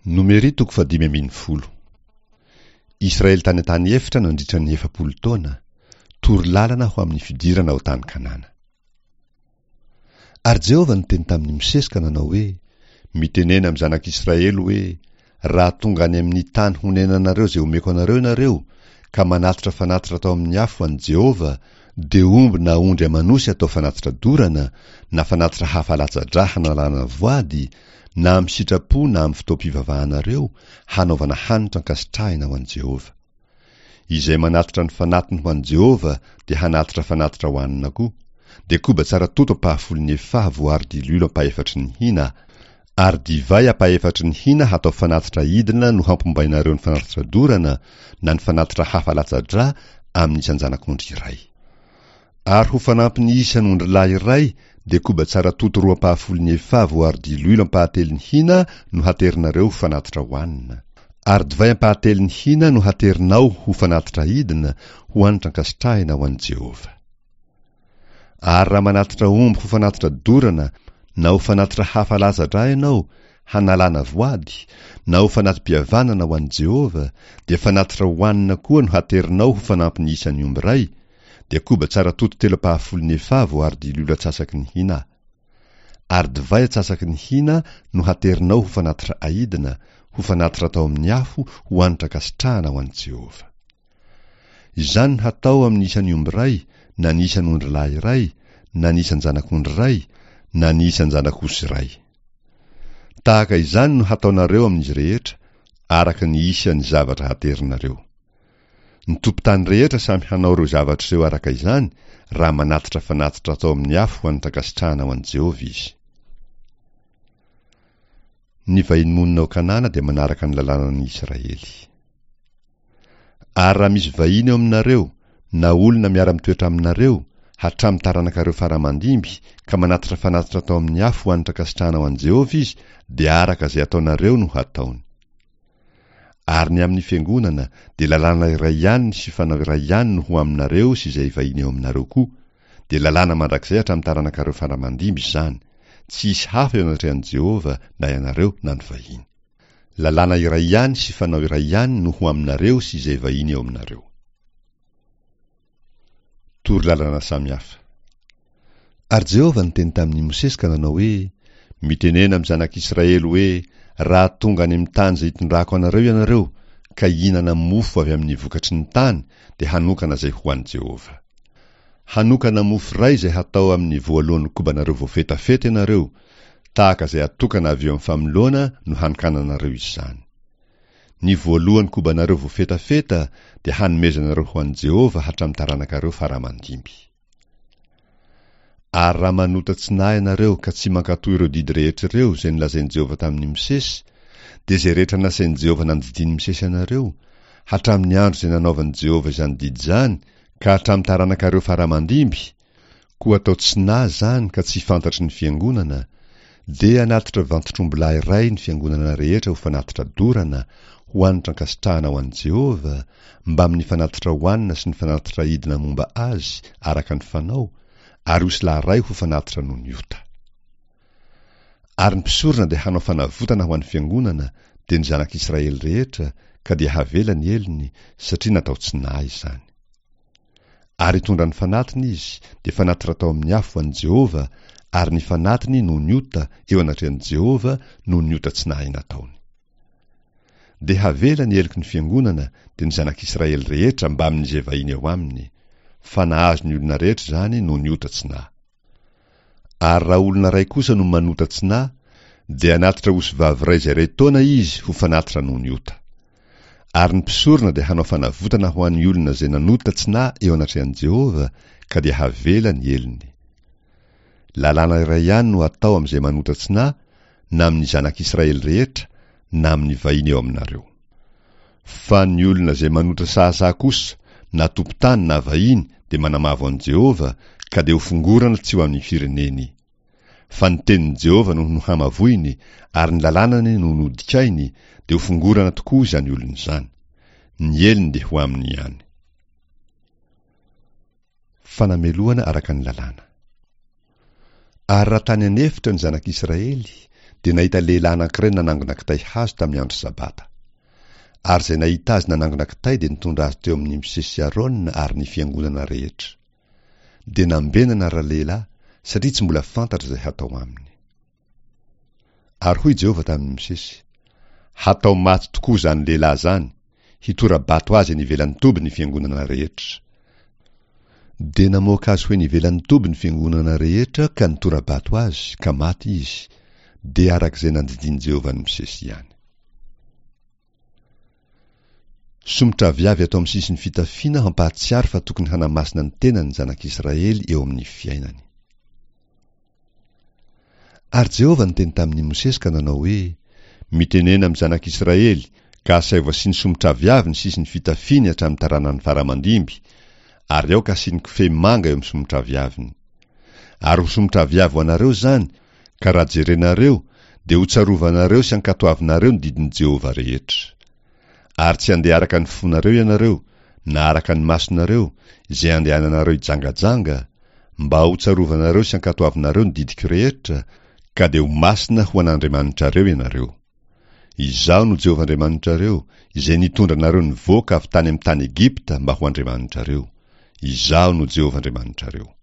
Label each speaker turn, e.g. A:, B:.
A: Nomery toko fahadimy ambin'ny folo. Israely tany an-tany efitra nandritra ny 40 taona, toro lalana ho amin'ny fidirana ao tany Kanana. Ary Jehovah niteny tamin'i Mosesy ka nanao hoe, Mitenena amin'ny zanak'Israely hoe, Raha tonga any amin'ny tany honenanareo izay omeko anareo ianareo, ka manatitra fanatitra atao amin'ny afo ho an'i Jehovah, dia omby na ondry aman'osy atao fanatitra dorana, na fanatitra hafa latsa-drà hanalana voady, na amin'ny sitrapo na amin'ny fotoam-pivavahanareo, hanaovana hanitra ankasitrahina ho an'i Jehovah. Izay manatitra ny fanatiny ho an'i Jehovah dia hanatitra fanatitra hohanina koa, dia koba tsara toto ampahafolon'ny efaha voaharo diloilo ampahefatry ny hina, ary divay ampahefatry ny hina hatao fanatitra idina no hampombainareo ny fanatitra dorana na ny fanatitra hafa latsa-drà amin'ny isan-janak'ondry iray. Ary ho fanampin'ny isan' ondrilahy iray dia koba tsara toto roa ampahafolon'ny efaha voaharo diloilo ampahatelon'ny hina no haterinareo ho fanatitra hohanina. Ary divay ampahatelon'ny hina no haterinao ho fanatitra aidina ho hanitra ankasitrahina ho an'i Jehovah. Ary raha manatitra omby ho fanatitra dorana na ho fanatitra hafa latsa-drà ianao, hanalana voady, na ho fanati-pihavanana ho an'i Jehovah, dia fanatitra hohanina koa no haterinao ho fanampin'ny isan'ny omby iray, dia koba tsara toto telo ampahafolon'ny efaha voaharo diloilo atsasaky ny hina. Ary divay atsasaky ny hina no haterinao ho fanatitra aidina, ho fanatitra atao amin'ny afo, ho hanitra ankasitrahana ho an'i Jehovah. Izany no hatao amin'ny isan'ny omby iray, na ny isan'ondrilahy iray, na ny isan-janak'ondry iray, na ny isan-janak'osy iray. Tahaka izany no hataonareo amin'izy rehetra, araka ny isan'ny zavatra haterinareo. Ny tompon-tany rehetra samy hanao ireo zavatra ireo araka izany raha manatitra fanatitra atao amin'ny afo ho an'ny fankasitrahana ho an'i Jehovah izy. Ny vahiny monina ao Kanana dia manaraka ny lalànan'ny Israely. Ary raha misy vahiny eo aminareo, na olona miara-mitoetra aminareo, hatramin'ny taranakareo fara aman-dimby, ka manatitra fanatitra atao amin'ny afo ho an'ny fankasitrahana ho an'i Jehovah izy, dia araka izay ataonareo no hataony. Ary ny amin'ny fiangonana dia lalàna iray ihany sy fanao iray ihany no ho aminareo sy izay vahiny eo aminareo koa, dia lalàna mandrakizay hatramin'ny taranakareo fara aman-dimby izany, tsy hisy hafa eo anatrehan'i Jehovah na ianareo na ny vahiny. Lalàna iray ihany sy fanao iray ihany no ho aminareo sy izay vahiny eo aminareo. Torolalana samihafa. Ary Jehovah niteny tamin'i Mosesy ka nanao hoe, Mitenena amin'ny zanak'Israely hoe, 'Raha tonga any amin'ny tany izay hitondrako anareo ianareo, ka hihinana mofo avy amin'ny vokatry ny tany, dia hanokana izay ho an'i Jehovah. Hanokana mofo iray izay hatao amin'ny voalohan'ny kobanareo voafetafeta ianareo, tahaka izay atokana avy eo amin'ny famoloana no hanokananareo izany. Ny voalohan'ny kobanareo voafetafeta dia hanomezanareo ho an'i Jehovah hatramin'ny taranakareo fara aman-dimby. Ary raha manota tsy nahy ianareo ka tsy mankatò ireo didy rehetra ireo izay nolazain'i Jehovah tamin'i Mosesy, dia izay rehetra nasain'i Jehovah nandidian'i Mosesy anareo, hatramin'ny andro izay nanaovan'i Jehovah izany didy izany ka hatramin'ny taranakareo fara aman-dimby, Koa atao tsy nahy izany ka tsy fantatry ny fiangonana, dia hanatitra vantotr'ombilahy iray ny fiangonana rehetra ho fanatitra dorana, ho hanitra ankasitrahana ho an'i Jehovah, mbamin'ny fanatitra hohanina sy ny fanatitra aidina momba azy araka ny fanao, ary osilahy iray ho fanatitra noho ny ota. Ary ny mpisorona dia hanao fanavotana ho an'ny fiangonana, dia ny zanak'Israely rehetra, ka dia havela ny helony, satria natao tsy nahy izany. Ary hitondra ny fanatiny izy, dia fanatitra atao amin'ny afo ho an'i Jehovah, ary ny fanatiny noho ny ota eo anatrehan'i Jehovah noho ny ota tsy nahay nataony. Dia havela ny heloky ny fiangonana, dia ny zanak'Israely rehetra mbamin'izay vahiny eo aminy, fa nahazo ny olona rehetra izany noho ny ota tsy nahy. Ary raha olona iray kosa no manota tsy nahy, dia hanatitra osivavy iray izay iray taona izy ho fanatitra noho ny ota. Ary ny mpisorona dia hanao fanavotana ho an'ny olona izay nanota tsy nahy eo anatrehan'i Jehovah, ka dia havela ny helony. Lalàna iray ihany no hatao amin'izay manota tsy nahy, na amin'ny zanak'Israely rehetra, na amin'ny vahiny eo aminareo. Fa ny olona izay manotra sahasaha kosa, na tompon-tany na vahiny, dia manamavo an'i Jehovah, ka dia hofongorana tsy ho amin'ny fireneny. Fa ny tenin'i Jehovah no nohamavoiny, ary ny lalànany no nodikainy, dia hofongorana tokoa izany olona izany. Ny helony dia ho aminy ihany. Fanamelohana araka ny lalàna. Ary raha tany an'efitra ny zanak'Israely, dia nahita lehilahy anankiray nanangona kitay hazo tamin'ny andro Sabata. Ary izay nahita azy nanangona kitay dia nitondra azy teo amin'i Mosesy sy Arona ary ny fiangonana rehetra. Dia nambenana ralehilahy, satria tsy mbola fantatra izay hatao aminy. Ary hoy Jehovah tamin'i Mosesy, Hatao maty tokoa izany lehilahy izany, hitora-bato azy eny ivelan'ny toby ny fiangonana rehetra. Dia namoaka azy ho eny ivelan'ny toby ny fiangonana rehetra ka nitora-bato azy, ka maty izy, dia araka izay nandidian'i Jehovah an'i Mosesy ihany. Somotraviavy atao amin'ny sisin'ny fitafiana hampahatsiaro fa tokony hanamasina ny tenany ny zanak'Israely eo amin'ny fiainany. Ary Jehovah niteny tamin'i Mosesy ka nanao hoe, Mitenena amin'ny zanak'Israely, ka asaivo asiany somotraviavy ny sisin'ny fitafiany hatramin'ny taranany fara aman-dimby, ary aoka hasiany kofehy manga eo amin'ny somotraviaviny. Ary ho somotraviavy ho anareo izany, Ka raha jerenareo, dia hotsarovanareo sy hankatoavinareo ny didin'i Jehovah rehetra. Ary tsy handeha araka ny fonareo ianareo, na araka ny masonareo, izay andehananareo hijangajanga, mba hotsarovanareo sy hankatoavinareo ny didiko rehetra, ka dia ho masina ho an'Andriamanitrareo ianareo. Izaho no Jehovah Andriamanitrareo, izay nitondra anareo nivoaka avy tany amin'ny tany Egypta mba ho Andriamanitrareo. Izaho no Jehovah Andriamanitrareo.